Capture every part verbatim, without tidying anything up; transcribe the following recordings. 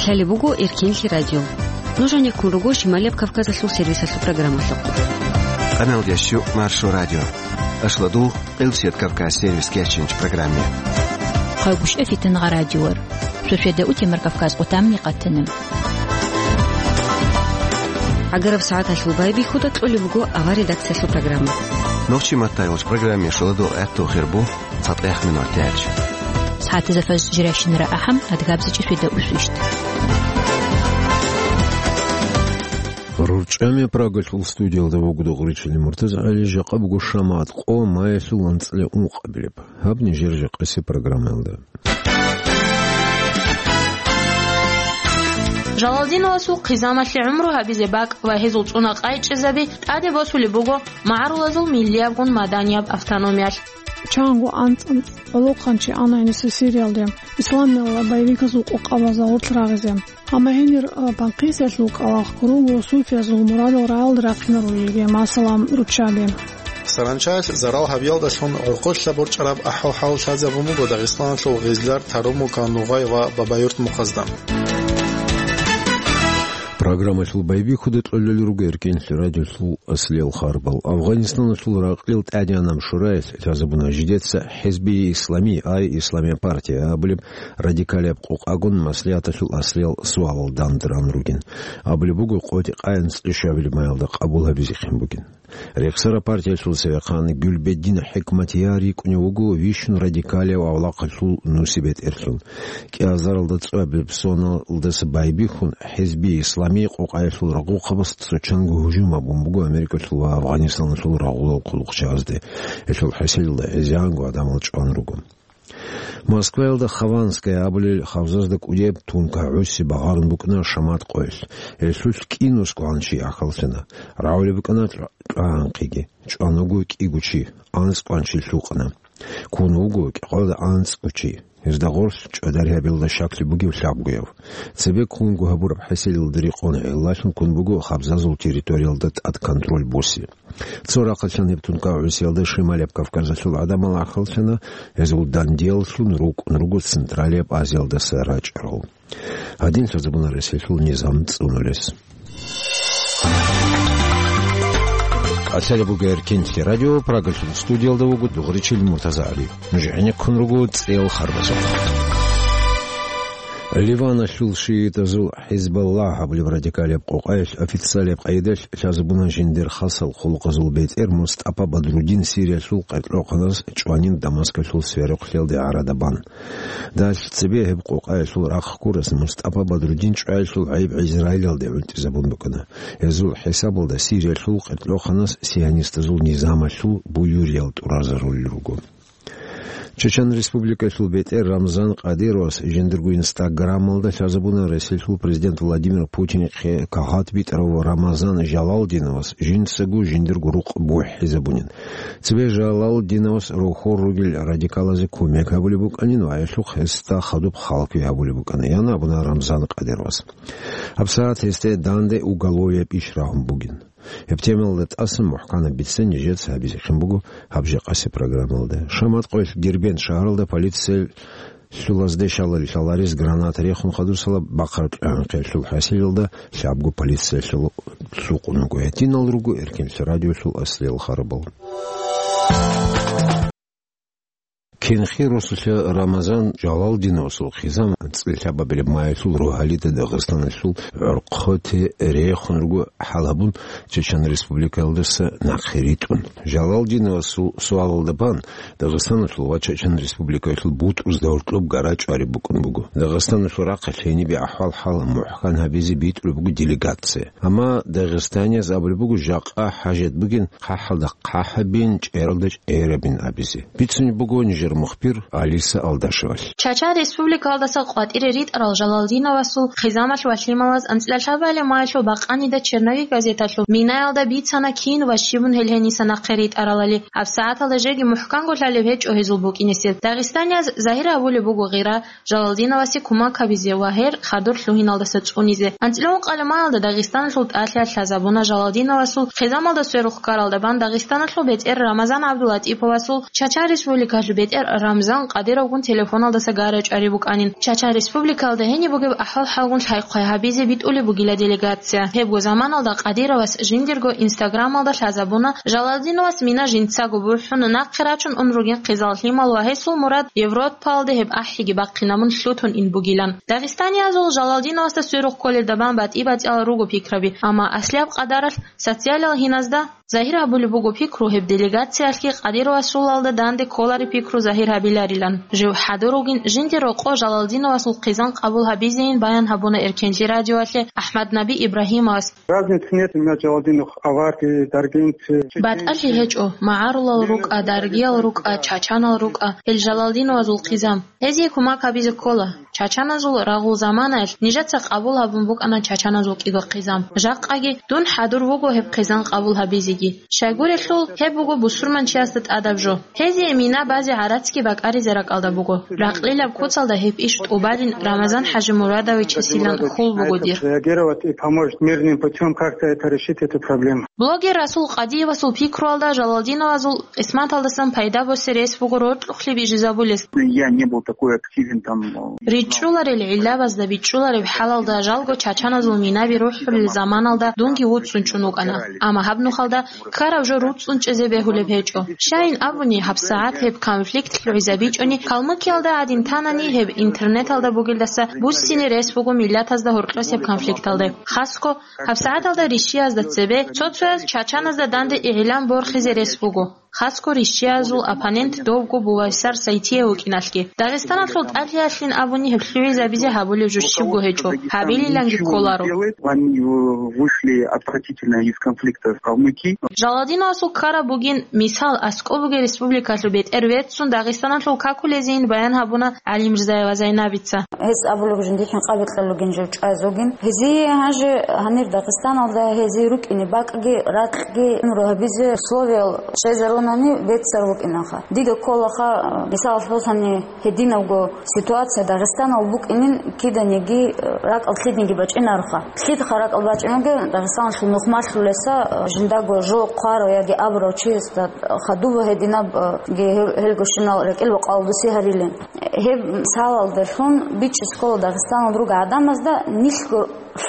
Лъалеб буго Эркенлъи радио. Нуж гьанеккун руго Шималияб Кавказалъул сервисалъул программалъухъ. Къаналдиясчу Маршо радио. Ашладул, Къилсият Кавказ сервис кечинч программе. Хъайбушев Фитнагъа радиор. Суседа у Темир Кавказ къутамни къатана. ГӀагараб сагӀаталъул байбихьуда кьолеб буго авар редакциялъул программа. Нохчи маттайолч программе шуладул гӀатту хирбу. ЦатӀехъ минут тяч. СагӀатазда фаз жиращинара ахӀам, адгабзичӀи светда усвищт. РурчӀами Прагалъул студиялда вугода гъуричили МуртазагӀали, жакъа буго шамат къо маялъул анцӀила ункъабилеб. Гьаб нижер жакъаси программаялда. Жалалдиновасул хъизамалъе гӀумру гьабизе бакӀ ва гьезул цӀуна къайчӀезаби тӀаде босулеб буго магӀарулазул миллиябгун маданияб автономиялъ. Чанго анцӀ-анцӀ гӀолохъанчи ана гьениса Сириялде, исламиялда боевиказул къокъабазда гъорлъ рагъизе. Амма гьенир, а, Банкъисиялъул кӀалахъ руго суфиязул мурадал рагӀалде рахъинаро йиги, масала, руччаби. Саранчаялъ зарал гьабиялдалъун гӀурхъулъа борчӀараб ахӀвал-хӀал лъазабун буго Дагъистаналъул Гъизлар, Тарумука, Нугъай ва Бабаюрт мухъазда. Программалъул байбихьуда кьолел руго Эркенлъи радиолъул аслиял харбал. Афганистаналъул ракьалил тӀадегӀанаб шураялъ лъазабуна жидеца ХӀизби Ислами, ай Исламия партия абулеб радикалияб къокъагун маслигӀаталъул аслиял суалал дандеран ругин. Абулеб буго, къотӀи-къаянц ишабилеб маялда къабул гьабизехъин бугин. Рехсара партиялъул цевехъан Гюлбеддин ХӀикматияр рикӀкӀунев вуго вищун радикалияб авлахъалъул нусибетӀерлъун. КӀиазаралда цӀуабилеб соналдаса байбихьун, ХӀизби Исламий къокъаялъул рагъухъабаз цо чанго гьужум гьабун буго Америкалъул ва Афганистаналъул рагъулал хъулухъчагьазде. Гьелъул хӀасилалда гӀезегӀанго гӀадамал чӀван руго. Москваялда Хованская абулел хабзазда кӀудияб тункагӀ гӀуси багъарун букӀана шамат къоялъ. Гьелъулъ кӀинусго гьанчи ахӀаллъана. РагӀулеб букӀана кьа-, кьагӀанхъиги. ЧӀван вуго кӀиго чи, анцӀ кӀванчи лъукъана. Ккун вуго кӀикъоялда анцӀго чи. Гьезда гъорлъ чӀвадаригьабиялда щаклъи бугев лъабгояв. Цебе ккунго гьабураб хӀасилалда рекъон гӀиллалъун ккун буго хабзазул территориялда тӀад контроль босе. Цо рахъалъан гьеб тункагӀ гӀусиялда Шималияб Кавказалъул гӀадамал ахӀаллъана, гьезул дандияллъун рукӀун руго Централияб Азиялдаса рачӀарал. Гьадин лъазабуна Россиялъул низам цӀунулес. КӀалъалеб буго Эркенлъи радио, Прагалъул студиялда вуго дугъричил МуртазагӀали. Нуж гӀенеккун руго цӀел харбазухъ. Ливаналъул шиитазул ХӀизбаллагь абулеб радикалияб къокъаялъ официалияб къайдалъ лъазабуна жиндир хасал хъулухъазул бетӀер МустӀапа Бадрудин Сириялъул къеркьохъанас чӀванин Дамаскалъул сверухълъиялде гӀарада бан. Далъ цебе гьеб къокъаялъул рахъ ккурас МустӀапа Бадрудин чӀваялъул гӀайиб Израилалде гӀунтӀизабун букӀана. Гьезул хӀисабалда Сириялъул къеркьохъанас сионистазул низамалъул буюриял тӀуразарулел руго. Чечен Республикалъул бетӀер Рамзан Кадыровас жиндирго Инстаграмалда лъазабуна Россиялъул президент Владимир Путинихъе кагъат битӀарав Рамазан Жалалдиновас жинцаго жиндирго рукъ бухӀизабунин. Цебе Жалалдиновас рохор ругел радикалазе кумек гьабулеб букӀанин ва гьелъухъ гьесда хадуб халкъи гьабулеб букӀана, ян абуна Рамзан Кадыровас. ГьабсагӀат гьесде данде уголовияб иш рагьун бугин. Гьеб темаялда тӀасан мухӀканаб бица нижеца гьабизехъин буго гьаб жакъаси программалда. Шамат къоялъ Дербент шагьаралда полициялъулазде щалал лъаларес граната рехун хадусала бахъараб кьагӀанхъиялъул хӀасилалда лъабго полициялъул лъукъун вуго. Гьединал руго Эркенлъи радиолъул аслиял харбал. Кенхи росулъа Рамазан Жалалдиновасул хъизан анцӀила лъабабилеб маялъул рогьалида Дагъистаналъул гӀорхъоте рехун руго хӀал гьабун, Чечен Республикаялдаса нахъе ритӀун. Жалалдиновасул суалалда бан, Дагъистаналъул ва Чечен Республикаялъул бутӀрузда гьоркьоб гара чӀвариб букӀун буго. Дагъистаналъул рахъалъ гьенибе ахӀвал-хӀал мухӀкан гьабизе битӀулеб буго делегация. Амма дагъистанияз абулеб буго жакъа хӀажат бугин хъахӀалда хъахӀабин, чӀералда чӀерабин абизе. Бицунеб буго нижер мухбир Алиса Алдашевалъ. Чача республикалдаса къватӀире ритӀарал Жалалдиновасул хъизамалъ ва лъималаз анцӀила лъабабилеб маялъул бакъанида «Черновик» газеталъул минаялда бицана кин ва щибун гьел гьениса нахъе ритӀаралали. ГьабсагӀаталда жеги мухӀканго лъалеб гьечӀо гьезул букӀинесеб. Дагъистанияз загьир гьабулеб буго гъира Жалалдиновасе кумак гьабизе ва гьер хадур лъугьиналдаса цӀунизе. АнцӀила ункъабилеб маялда Дагъистаналъул тӀалъи лъазабуна Жалалдиновасул хъизамалда сверухъ ккаралда бан Дагъистаналъул бетӀер Рамазан ГӀабдулатӀиповасул, Чача республикалъул бетӀер Рамзан Кадыровгун телефоналдаса гара чӀари букӀанин. Чачан Республикалда гьениб бугеб ахӀвал-хӀалгун лъай-хъвай гьабизе битӀулеб бугила делегация. Гьебго заманалда Кадыровас жиндирго Инстаграмалда лъазабуна, Жалалдиновас мина жинцаго бухӀун, нахъе рачун ун ругин хъизан лъимал ва гьесул мурад Европалде гьеб ахӀиги бахъинабун лъутун ин бугилан. Дагъистаниязул Жалалдиновасда сверухъ кколелда бан батӀи-батӀиял руго пикраби, амма аслияб къадаралъ социалиял гьиназда загьир гьабулеб буго пикру гьеб делегациялъги Кадыровасулалда данде кколареб пикру загьир гьабиларилан. Жив хӀадур вугин жинде рокъо Жалалдиновасул хъизан къабул гьабизейин баян гьабуна Эркенлъи радиоялъе АхӀмаднаби Ибрагьимовас. Разницы нет, у меня Джалалдинов аварцы, даргинцы, чеченцы. БатӀалъи гьечӀо, магӀарулал рукӀа, даргиял рукӀа, чачанал рукӀа, гьел Жалалдиновазул хъизан. Гьезие кумак гьабизе ккола. Чачаназул рагъул заманаялъ нижеца къабул гьабун букӀана чачаназул кӀиго хъизан. Жакъаги дун хӀадур вуго гьеб хъизан къабул гьабизеги. Щайгурелъул, гьеб буго бусурманчиясда тӀадаб жо. Гьезие мина базе гӀарацги бакӀаризе ракӀалда буго. Ракълилаб куцалда гьеб иш тӀубалин Рамазан ХӀажимурадовичасилан хьул буго дир. Реагировать и помочь мирным путём как-то это решить, эту проблему. Блогер Расул Къадиевасул пикруялда Жалалдиновазул къисматалдасан пайда босе рес буго роркьухълъи бижизабулес. Я не был такой активен там, э, РичӀчӀуларел гӀиллабазда бичӀчӀулареб хӀалалда жалго чачаназул минаби рухӀулел заманалда дунги вуцӀцӀун чӀун вукӀана. Амма гьаб нухалда ккараб жо руцӀцӀун чӀезе бегьулеб гьечӀо. Щайин абуни, гьабсагӀат гьеб конфликт лъугӀизабичӀони, Калмыкиялда гӀадин танани, гьеб интернеталда бугелдаса буссине рес буго миллатазда гьоркьосеб конфликталде. Хасго, гьабсагӀаталда рищиязда цебе цо-цояз чачаназда данде игӀилан борхизе рес буго. Хасго рищиязул оппонент довго бувайсар сайтияв вукӀиналъги. Дагъистаналъул тӀалъиялъин абуни гьеб лъугӀизабизе гьабулеб жо щибго гьечӀо, гьабилиланги кколаро. Они вышли отвратительно из конфликта в Калмыкии. Жалалдиновасул ккараб бугин, мисал, аскӀоб бугеб республикалъул бетӀер верцун Дагъистаналъул какулезейин баян гьабуна ГӀалимрзаева Зайнабица. Гьес абулеб жиндихъин къабикьа лугин жив чӀвазугин. Гьезие гьанже гьанир Дагъистаналда гьезие рукӀине бакӀги, ракьги, гӀумру гьабизе условиял щвезарунани беццар вукӀинаха. Дида кколаха, мисалалъ босани, гьединабго ситуация Дагъистанал букӀинин киданиги, ракӀал лъидниги бачӀинароха. Лъидха ракӀал бачӀинеги Дагъистаналъул нухмалъулеса жиндаго жо хъварав яги абурав чиясда хадуба гьединаб, э, ге-, гьел-, гьелго щинал рекӀел бакъал буси гьарилин. Гьеб мисалалдалъун бичӀчӀи ккола Дагъистаналда ругел гӀадамазда нилъго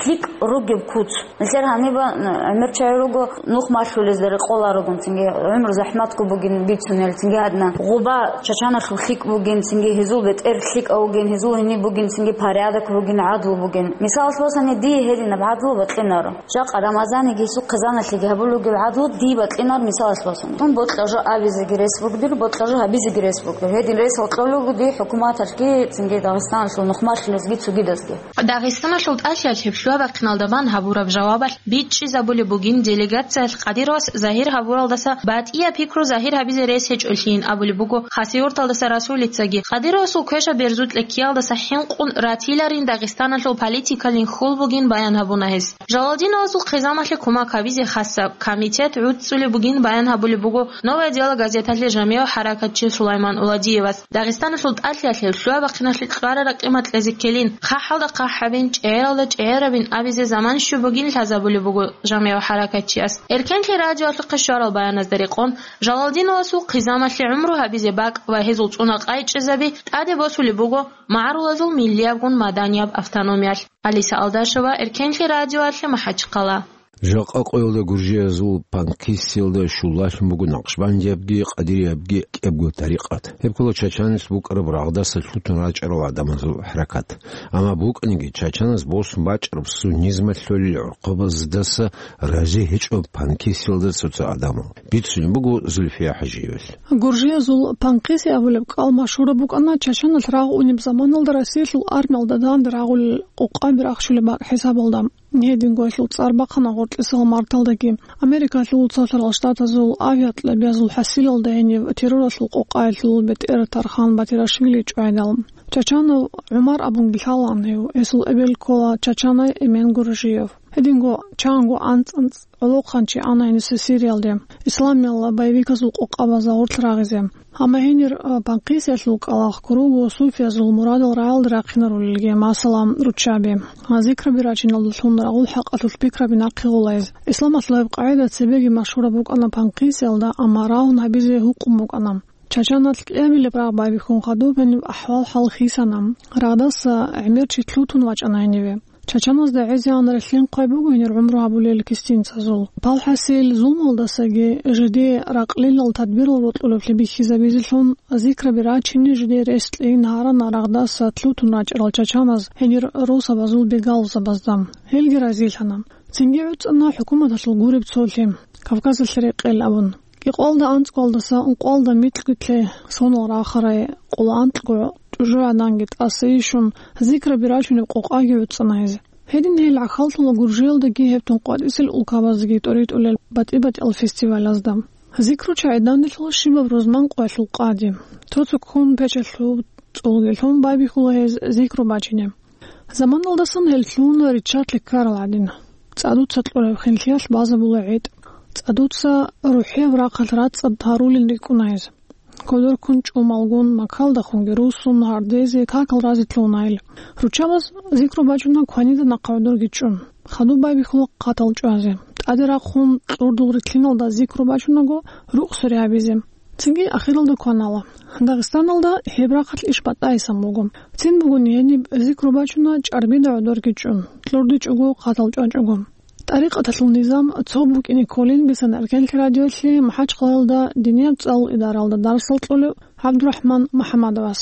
лъикӀ ругеб куц. Нилъер гьаниб, н-, гӀемер чагӀи руго, нухмалъулезда рекъоларогун, цинги гӀумру захӀматго бугин бицунел, цинги гьадна гъоба чачаналъул лъикӀ бугин, цинги гьезул бетӀер лъикӀав вугин, гьезул гьениб бугин, цинги порядок бугин, гӀадлу бугин. Мисалалъ босани, дие гьединаб гӀадлу бакьинаро. Жакъа Рамазаниги гьесул хъизаналъеги гьабулеб гӀадлу дие бакьинар мисалалъ босун. Дун бокьа жо абизеги рес бугдир, бокьа жо гьабизеги рес бугдир. Гьедин рес гьоркьолего дие хӀукуматалъги, цинги Дагъистаналъул нухмалъулезги цогидазги. Дагъистаналъул тӀалъиялъ гьеб лъугьа-бахъиналда бан гьабураб жавабалъ бичӀчӀизабулеб бугин делегациялъ Кадыровас загьир гьабуралдаса батӀияб пикру загьир гьабизе рес гьечӀолъийин абулеб буго Хасавюрталдаса Расулицаги. Кадыровасул квешаб берзукьа ккеялдаса хӀинкъун ратиларин Дагъистаналъул политикалин хьул бугин баян гьабуна гьес. Жалалдиновасул хъизамалъе кумак гьабизе хасаб комитет гӀуцӀцӀулеб бугин баян гьабулеб буго «Новое дело» газеталъе жамигӀ хӀаракатчи Сулайман Уладиевас. Дагъистаналъул тӀалъиялъе лъугьа-бахъиналъе кьвара-ракъима кьезе ккелин, хъахӀалда хъахӀабин, чӀегӀералда чӀегӀерабин абизе заман щиб бугин лъазабулеб буго жамигӀ хӀаракатчияс. Эркенлъи радиоялъухъе щварал баяназда рекъон, Жалалдиновасул хъизамалъе гӀумру гьабизе бакӀ ва гьезул цӀуна къайчӀезаби тӀаде босулеб буго магӀарулазул миллиябгун маданияб автономиялъ. Алиса Алдашева, Эркенлъи радиоялъе, МахӀачхъала. Жакъа къоялда гуржиязул Панкисиялда щуллалъун буго накъшбандиябги къадириябги кӀиябго тарикъат. Гьеб ккола чачанас букӀараб рагъдаса лъутун рачӀарал гӀадамазул хӀаракат. Амма букӀаниги, чачанас босун бачӀараб суннизмалъулел гӀурхъабаздаса рази гьечӀо Панкисиялда цо-цо гӀадамал. Бицунеб буго Зульфия ХӀажиевалъ. Гуржиязул Панкиси абулеб кӀал машгьураб букӀана чачаналъ рагъ унеб заманалда Россиялъул армиялда данде рагъулел къокъаби рахчулеб бакӀ хӀисабалда. Гьединго гьелъул цӀар бахъана гъоркьисал марталдаги. Америкалъул Цолъарал Штатазул авиакьабиязул хӀасилалда гьениб терроралъул къокъаялъул бетӀер Тархан Батирашвили чӀвайдал. Чачанов ГӀумар абунги лъалаан гьев, гьесул эбел ккола чачанай Эмен Гуржиев. Гьединго чанго анцӀ-анцӀ гӀолохъанчи ана гьениса Сириялде, исламиял боевиказул къокъабазда гъорлъ рагъизе. Амма гьенир, а, Панкисиялъул кӀалахъ круго суфиязул мурадал рагӀалде рахъинарулелги, масала, руччаби. А, зикраби рачиналдалъун рагъул хӀакъалъулъ пикраби нахъе гъулайз. Исламалъул гьеб къагӀида цебеги машгьураб букӀана Панкисиялда, амма рагьун гьабизе гьукъун букӀана. Чачаналъ кӀиабилеб рагъ байбихьун хадуб гьениб ахӀвал-хӀал хисана. Рагъдаса гӀемер чи лъутун вачӀана гьениве. Чачаназда гӀезегӀан релълъин хъвай буго гьенир гӀумру гьабулел кистинцазул. Палхасил зулмалдасаги жидее ракълилал тадбирал рокьулеблъи бихьизабизелъун, зикраби рачине жидее рес кьейин гьарана рагъдаса лъутун рачӀарал чачаназ гьенир росабазул бегалзабазда. Гьелги разилъана. Цинги гӀуцӀана хӀукуматалъул гуреб цолъи, Кавказалъ рекъел абун. Кьикъоялда анцӀгоялдаса ункъоялда микьго-лъе сонал рахарай къоло анкьго чӀужугӀаданги тӀаса ишун, зикраби рачунеб къокъаги гӀуцӀана гьез. Гьедин гьел гӀахьаллъула Гуржиялдаги гьеб тун къватӀисел улкабаздаги тӀоритӀулел батӀи-батӀиял фестивалазда. Зикру чагӀи данделъула щибаб рузман къоялъул къади. Цо-цо ккун печалъуб цӀулги лъун байбихьула гьез зикру бачине. Заманалдасан гьел лъугьуна риччалъе ккарал гӀадин. ЦӀадуца кьураб хинлъиялъ базабула гӀетӀ. ЦӀадуца рухӀияб рахъалъ рацӀцӀад гьарулин рикӀкӀуна гьез. Кодор ккун чӀумалгун, макалдахунги руссун, гьардезе, какал разе лъугьуна гьел. Руччабаз зикру бачуна кванида нахъа гӀодорги чӀун. Хадуб байбихьула хъатал чӀвазе. ТӀаде рахъун кьурдул рилълъиналда зикру бачунаго, рукъ суре гьабизе. Цинги ахиралда кванала. Дагъистаналда гьеб рахъалъ иш батӀайсан буго. Цин бугони гьениб зикру бачуна чӀарбида гӀодорги чӀун, кьурдичӀого, хъатал чӀвачӀого. ТӀарикъаталъул низам цо букӀине кколин бицана Эркенлъи радиолъи МахӀачхъалаялда динияб цӀалул идаралда дарсал кьолев ГӀабдурахӀман МухӀаммадовас.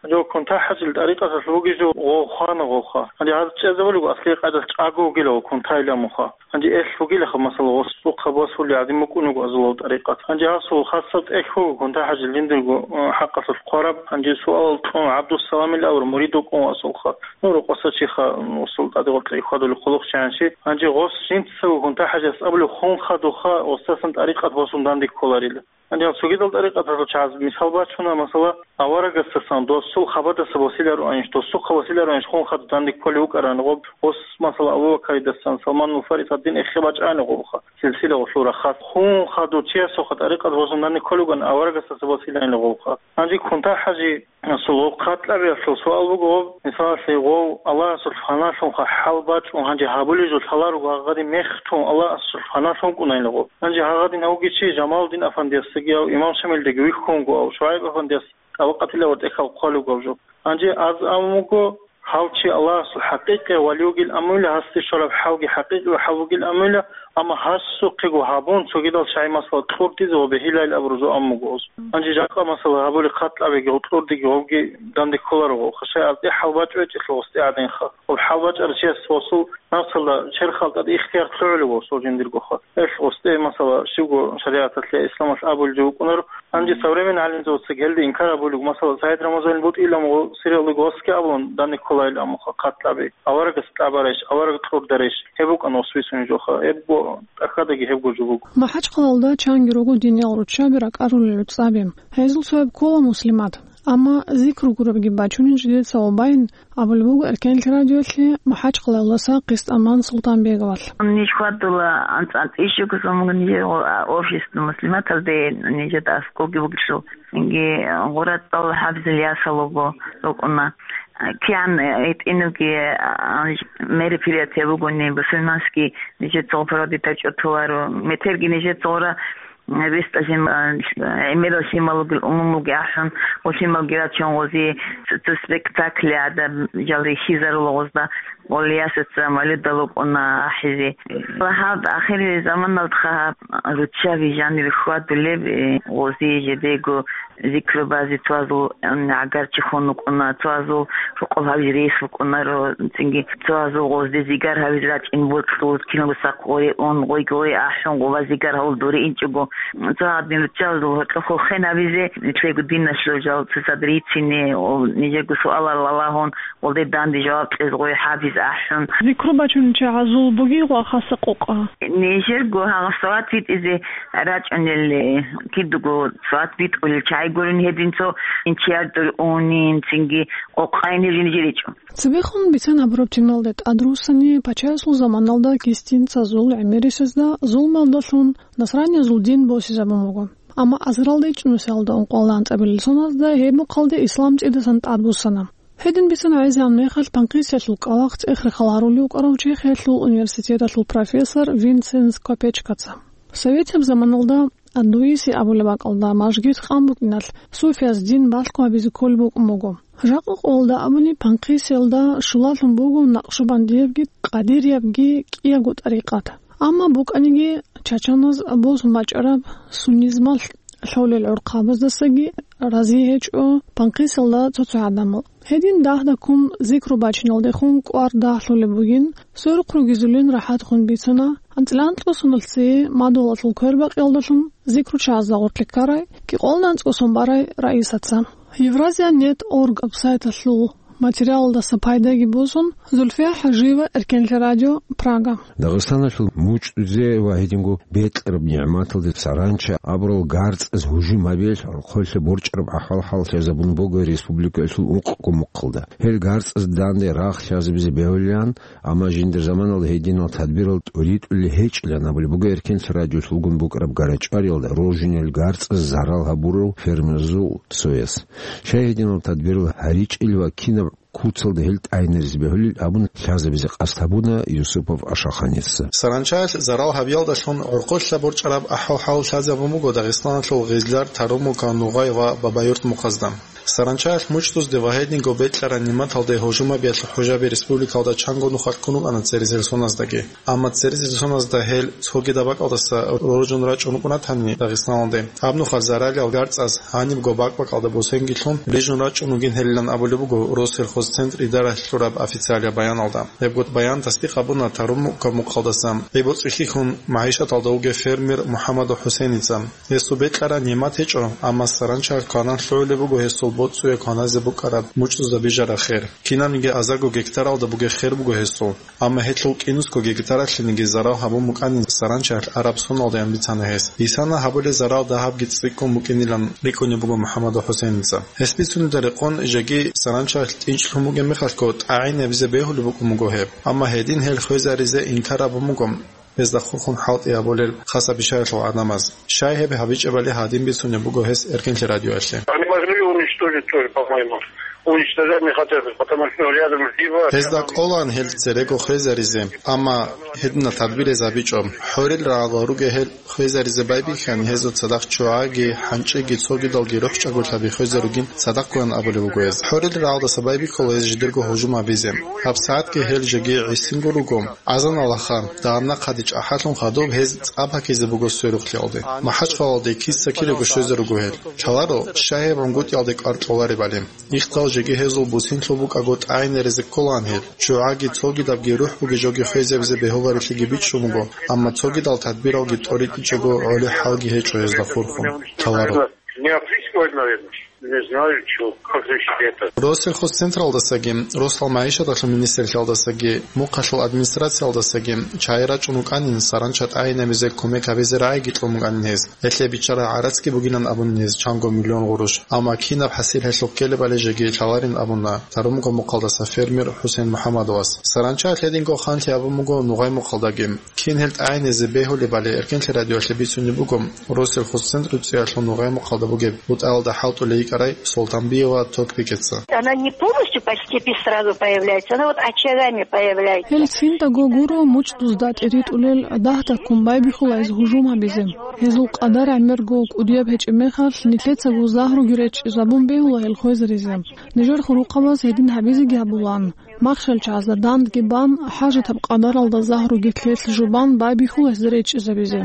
Гьанже кунта-хӀажил тӀарикъаталъ вугев жо гъов хвана гъовха. Гьанже гьаз чӀезабулего аслияб къайдалъ чӀаго вугила гъов кунтайилан муха. Гьанже эл вугилаха, масала, гъос цӀухъа босулев гӀадин букӀун вуго азулав тӀарикъат. Гьанже гьасул хасаб тӀехь вуго кунта-хӀажил жиндирго, э, хӀакъалъулъ хъвараб. Гьанже суалал кьун ГӀабдуссаламил абураб мурид вукӀун васулха. Ну, рокъоса чиха, м, усул тӀаде гъоркье хьвадулев хъулухъчи гьанчи. Гьанже гъос жинцаго кунта-хӀажас абулев хун хадуха, гъосдасан тӀарикъат босун данде кколарила. Гьанже гьал цогидал тӀарикъаталъул чагӀаз мисал бачуна, масала, аварагасдасан досул хабадаса босилароанищ, досухъа босилароанищ хун хадуб данде кколев вукӀарани гъоб, гъос, масала, Абу Бакаридасан, Салманул Фарис гьадин эхе бачӀани гъобха, силсила гъолъул рахас. Хун хадув чиясухъа тӀарикъат босун данде кколев вукӀан аварагасдаса босилайни гъобха. Гьанже кунта-хӀажи Асул гъоб хъатӀлъабиялъул суал буго гъоб, мисалалъе, гъов Аллагьасул фаналъунха хӀал бачӀун гьанже гьабулеб жо лъаларого гьагъадин мехтун Аллагьасул фаналъун кӀунайила гъоб. Гьанже гьагъадин гьавги чи Жамалудин афандиясдаги гьав Имам Шамилдаги вихьун вуго, гьав ШугӀайб афандияс тӀабакъатила ва тӀехьал хъвалев гьав жо. Гьанже аз абун вуго, гьав чи Аллагьасул хӀакъикъияв вали вугил амуйла, гьасде щвараб хӀалги хӀакъикъияв хӀал вугил амуйла, амма гьасухъего гьабун, цогидал шагьи масала кьурдизе ва бегьилайил абурузул аммуго гъоз. Гьанже жакъа масала гьабули хъатӀлъабиги гъукьурдиги гъовги данде кколаро гъо. Хашай аз тӀе хӀалбачӀо гьечӀелъул гъосде гӀадинха. Гъоб хӀалбачӀарав чияс гъосул напсалда черхал тӀад ихтияр лъугӀулев гъосул жиндиргоха. Эл гъосде масала щивго шаригӀаталъе исламалъ абулев вукӀунаро. Гьанже современный гӀалимзабаца гьелде инкар абулев, масала, Саид Рамазанил бутӀилан гъо-, сиралуго гъосги абулан данде кколайил аммуха хъатӀлъаби. Аварагас тӀабарайищ, авараг кьурдарайищ, гьеб букӀана гъос бицунеб жоха. Гьеб бо-, тӀахьадаги гьебго жо буго. МахӀачхъалалда чанги руго диниял руччаби ракӀарулел гӀуцӀаби. Гьезул цояб ккола муслимат. Амма зикру гурабги бачунин жидеца ва байин, абулеб буго Эркенлъи радиолъи МахӀачхъалалдаса Къистаман Султанбеговалъ. Ниж хьвадула анцӀ-анцӀ ишугузумун нижер офис муслиматалде нижер аскӀовги бугелъул. Цинги гъура цӀал хӀабзил ясал руго рукӀуна. КигӀан гьитӀинабги, а, мероприятие бугони, бусурманский нижер цо проводить гьачӀо толаро. Метерги нижер цо гъура, а, вестӀа жин, а, гӀемерал лъимал ругел умумулги ахӀун, гъо лъималги рачун гъози, цо, цо спектакль гӀадаб жал рихьизарула гъозда. Гъолиясаца малидал рукӀуна ахӀизе. Ва гьаб ахирги заманалдха руччаби жанир хьвадулеб, э, гъози жидего зикру базе цоазул, м, гӀагарчи хун вукӀуна, цоазул рукъоб гьабиз рейс вукӀунаро, цинги цоазул гъозде зигар гьабиз рачӀин бокьул, киналго сахъ гъое ун, гъойги гъое ахӀун, гъова зигар гьавул дуре инчӀого. Цо гьадин руччабазул гьоркьохъо хен гьабизе, нилъего диналъул жал цоцад рицине, о, нижего суалал балагьун, гъолде данде жаваб кьез гъой хӀабиз ахӀун. Зикру бачунел чагӀазул бугей гъо хаса къокъа? Нижерго гьагъа салат битӀизе рачӀунел, кидаго салат битӀулел чагӀи гурин гьедин цо инчияр дургьунин, цинги къокъайни жинжиричӀо. Цебехун бицен гьабураб темалда тӀадруссани, пачаясул заманалда кистинцазул гӀемерисезда зулмалдалъун насраниязул дин босизабун буго. Амма азаралда ичӀнусиялда ункъоялда анцӀабилел соназда гьеб мухъалде ислам цӀидасан тӀадбуссана. Гьедин бицун гӀезегӀан мехалъ Панкисиялъул кӀкӀалахъ цӀех-рехал гьарулев вукӀарав Чехиялъул университеталъул профессор Винсенс Копечкаца. Советияб заманалда Андуиси абулеб бакӀалда, мажгит къан букӀиналъ, суфияз дин балъго гьабизе кколеб букӀун буго. Жакъа къоялда абуни, Панкъиселда щулалъун буго накъшубандиябги, къадириябги кӀиябго тӀарикъат. Амма букӀаниги, чачаназ босун бачӀараб суннизмалъ лъолел гӀурхъабаздасаги рази гьечӀо Панкъиселда цо-цо гӀадамал. Гьедин дагь-дагьккун зикру бачиналдехун кӀвар дагьлъулеб бугин, сверухъ ругезулин рахӀатгун бицуна, анцӀила анкьго соналъ цее мадугьалалъул квербакъиялдалъун зикручагӀазда гъоркье ккарай, кӀикъоялда анцӀго сон барай раисаца. Евразия нет орг сайталъул материалалдаса пайдаги босун, Зульфия ХӀажиева, Эркенлъи радио, Прага. Дагъистаналъул мучӀдузе ва гьединго бекьараб нигӀматалде саранча абурал гарцӀаз гьужум гьабиялъ гӀорхъоялъе борчӀараб ахӀвал-хӀал лъазабун буго республикаялъул ункъго мухъалда. Гьел гарцӀаз данде рагъ лъазабизе бегьулилан, амма жиндир заманалда гьединал тадбирал тӀуритӀулел гьечӀилан абулеб буго Эркенлъи радиолъулгун букӀараб гарачӀвариялда рожинел гарцӀаз зарал гьабурал фермерзул цояс. Щай гьединал тадбирал гьаричӀел ва кинаб куцалда гьел тӀагӀинаризе бегьулел абун лъазабизе къасд гьабуна Юсупов Ашаханица. Саранчаялъ зарал гьабиялдалъун гӀорхъолъа борчӀараб ахӀвал-хӀал лъазабун буго Дагъистаналъул Гъизлар, Тарумука, Нугъай ва Бабаюрт мухъазда. Саранчаялъ мучӀдузде ва гьединго бекьараб нигӀматалде гьужум гьабиялъ хӀужаби республикалда чанго нухалъ ккун рукӀана церезил соназдаги. Амма церезил соназда гьел цогидаб бакӀалдаса роржун рачӀун рукӀунатани Дагъистаналде, гьаб нухалъ заралил гарцӀаз гьанибго бакӀ-бакӀалда бусенги лъун рижун рачӀун ругин гьелилан абулеб буго Россельхозцентр идаралъ лъураб официалияб баяналда. Гьебго баян тасдикъ гьабуна Тарумука мухъалдаса гӀи-боцӀи хьихьун магӀишаталда вугев фермер МухӀаммадов ХӀусейница. Гьесул бекьараб нигӀмат гьечӀо, амма саранча кванан лъугӀулеб буго гьесул боцӀуе кваназе букӀараб мучӀдузда бижараб хер. Кинабниги азарго гектаралда бугеб хер буго гьесул. Амма гьелъул кӀинусго гектаралъениги зарал гьабун букӀанин саранчаялъ араб соналдаян бицана гьес. Гьисана гьабулеб зарал дагьабги цӀикӀкӀун букӀинилан рикӀкӀунеб буго МухӀаммадов ХӀусейница. Гьес бицунебда рекъон, жеги саранчаялъ тӀинчӀлъун бугеб мехалъго тӀагӀинабизе бегьулеб букӀун буго гьеб. Амма гьедин гьел хвезаризе инкар гьабун буго гьезда хурхун хӀалтӀи гьабулел хасабишаялъул гӀадамаз. Щай гьеб гьабичӀебали гьадин бицунеб буго гьес Эркенлъи радиоялъе. Они могли уничтожить тоже, по-моему. Уничтожать не хотят, потому что рядом Зива. Гьезда кӀолаан гьел церего хвезаризе, амма гьединал тадбирез гьабичӀо. ХӀорил рагӀалда ругел гьел хвезаризе байбихьани, гьезул цадахъ ччугӀаги, хӀанчӀиги, цогидалги рухӀчӀаголъаби хвезаругин цадахъ гуян абулеб буго гьез. ХӀорил рагӀалдаса байбихьула гьез жидерго гьужум гьабизе. Гьаб сагӀатги гьел жеги гӀисинго руго. Азан алаха, дагьаб нахъаде чӀахӀаллъун хадуб гьез цӀа пакизе буго сверухълъиялде. МахӀачхъалалде киса-кирего щвезаруго гьел. Лъаларо, щай гьеб гӀунгутӀиялде кӀвар кьоларебали. Ихтал жеги гьезул бусинлъул букӀаго тӀагӀинаризе кколаан гьел. ЧчугӀаги цогидабги рухӀ бугеб жоги хвезабизе бегьуларелъиги бичӀчӀун буго, амма цогидал тадбиралги тӀоритӀичӀого гӀолеб хӀалги гьечӀо гьезда хурхун. Лъаларо. Не опрыскивать, наверное. Не знаю, чё, как решить это. Россельхозцентралдасаги, Росал магӀишаталъул министрлъиялдасаги, мухъалъул администрациялдасаги чагӀи рачӀун рукӀанин, саранча тӀагӀинабизе кумек гьабизе рагӀиги кьун букӀанин гьез. Гьелъие биччарай гӀарацги бугилан абунин гьез чанго миллион гъурущ, амма кинаб хӀасил гьелъухъ ккелебали жеги лъаларин абуна Тарумука мухъалдаса фермер ХӀусейн МухӀаммадовас. Саранча гьединго ханлъи абун буго Нугъай мухъалдаги. Кин гьел тӀагӀиназе бегьулебали Эркенлъи радиоялъе бицунеб буго Россельхозцентру цӀиялъул Нугъай мухъалда бугеб бутӀаялда хӀалтӀулей йикӀарай Солтанбиева Токбикеца. Она не полностью по степи сразу появляется, она вот очагами появляется. Гьел циндаго гуро мучӀдузда тӀиритӀулел дагь-дагьккун байбихьула гьез гьужум гьабизе. Гьезул къадар гӀемерго кӀудияб гьечӀеб мехалъ, нилъецаго загьруги речӀчӀизабун бегьула гьел хвезаризе. Нижер хурухъабаз гьедин гьабизеги гьабулаан. Махщел чагӀазда дандги бан, хӀажатаб къадаралда загьруги лъелъ жубан байбихьула гьезда речӀчӀизабизе.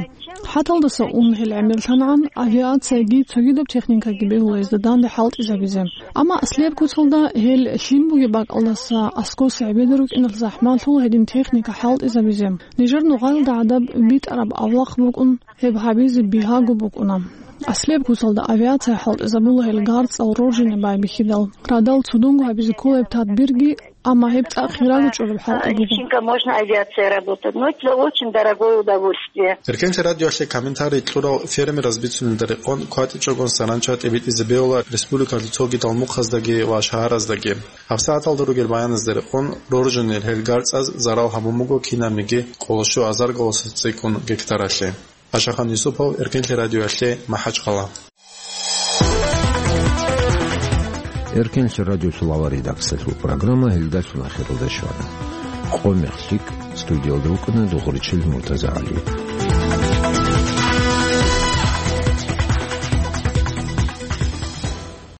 ХӀаталдаса ун гьел гӀемерлъангӀан, авиацияги цогидаб техникаги бегьула гьезда данде хӀалтӀизабизе. Амма аслияб куцалда гьел лъим бугеб бакӀалдаса аскӀоса гӀебеда рукӀиналъ захӀмалъула гьедин техника хӀалтӀизабизе. Нижер нугъаялда гӀадаб битӀараб авлахъ букӀун, гьеб гьабизе бигьаго букӀуна. Аслияб куцалда авиация хӀалтӀизабула гьел гарцӀал роржине байбихьидал, радал цудунго гьабизе ккола гьеб тадбирги, амма гьеб цӀакъ хирав гьечӀолеб хӀалтӀи буго. Личинка можно авиация работать, но это очень дорогое удовольствие. Эркенлъи радиоялъе комментарий кьурав фермераз бицунелда рекъон, кватӀичӀогон саранча тӀибитӀизе бегьула республикалъул цогидал мухъаздаги ва шагьараздаги. ГьабсагӀаталда ругел баяназда рекъон, роржинел гьел гарцӀаз зарал гьабун буго кинабниги кӀоло щуазарго цӀикӀкӀун гектаралъе. Ашахан Юсупов, Эркенлъи радиоялъе, МахӀачхъала. Эркенлъи радиолъул авария дакӀсалъул программа гьелдалъун ахиралда щвана. Къо-мех лъикӀ, студиялда вукӀана Дугъуричил МуртазагӀали.